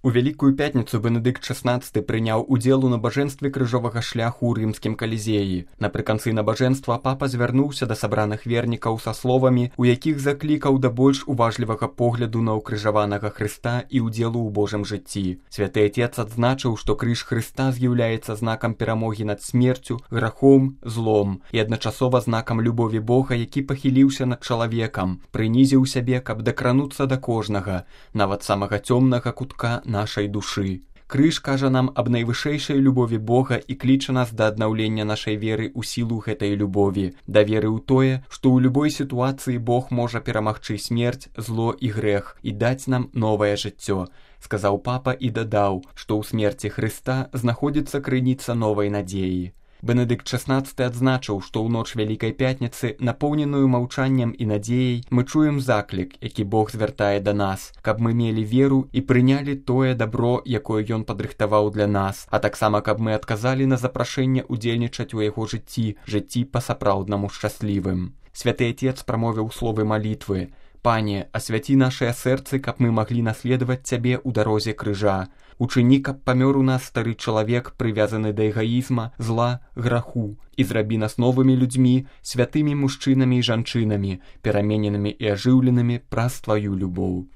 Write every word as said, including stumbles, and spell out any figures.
У Вялікую пятніцу Бенедыкт шаснаццаты прыняў удзел у набажэнстве крыжовага шляху ў рымскім калізеі. Напрыканцы набажэнства папа звярнуўся да сабраных вернікаў са словамі, у якіх заклікаў да больш уважлівага погляду на ўкрыжаванага Хрыста і ўдзелу ў Божым жыцці. Святы Атец адзначыў, што крыж Хрыста з'яўляецца знакам перамогі над смерцю, грахом, злом і адначасова знакам любові Бога, які пахіліўся над чалавекам, прынізіў сябе, каб дакрануцца да кожнага, нават самага цёмнага кутка нашай душы. Крыж кажа нам аб найвышэйшай любові Бога і кліча нас да аднаўлення нашай веры ў сілу гэтай любові, да веры ў тое, што ў любой сітуацыі Бог можа перамагчы смерць, зло і грэх і даць нам новае жыццё, сказаў папа і дадаў, што ў смерці Хрыста знаходзіцца крыніца новай надзеі. Бенедыкт шаснаццаты адзначыў, што ў ноч Вялікай пятніцы, напоўненую маўчаннем і надзеяй, мы чуем заклік, які Бог звяртае да нас, каб мы мелі веру і прынялі тое дабро, якое ён падрыхтаваў для нас, а таксама каб мы адказалі на запрашэнне ўдзельнічаць у яго жыцці, жыцці па-сапраўднаму шчаслівым. Святы Атец прамовіў словы малітвы: «Пане, асвяці нашыя сэрцы, каб мы маглі наследаваць Цябе ў дарозе крыжа. Учыні, каб памёр у нас стары чалавек, прывязаны да эгаізма, зла, граху, і зрабі нас новымі людзьмі, святымі мужчынамі і жанчынамі, перамененымі і ажыўленымі праз Тваю любоў».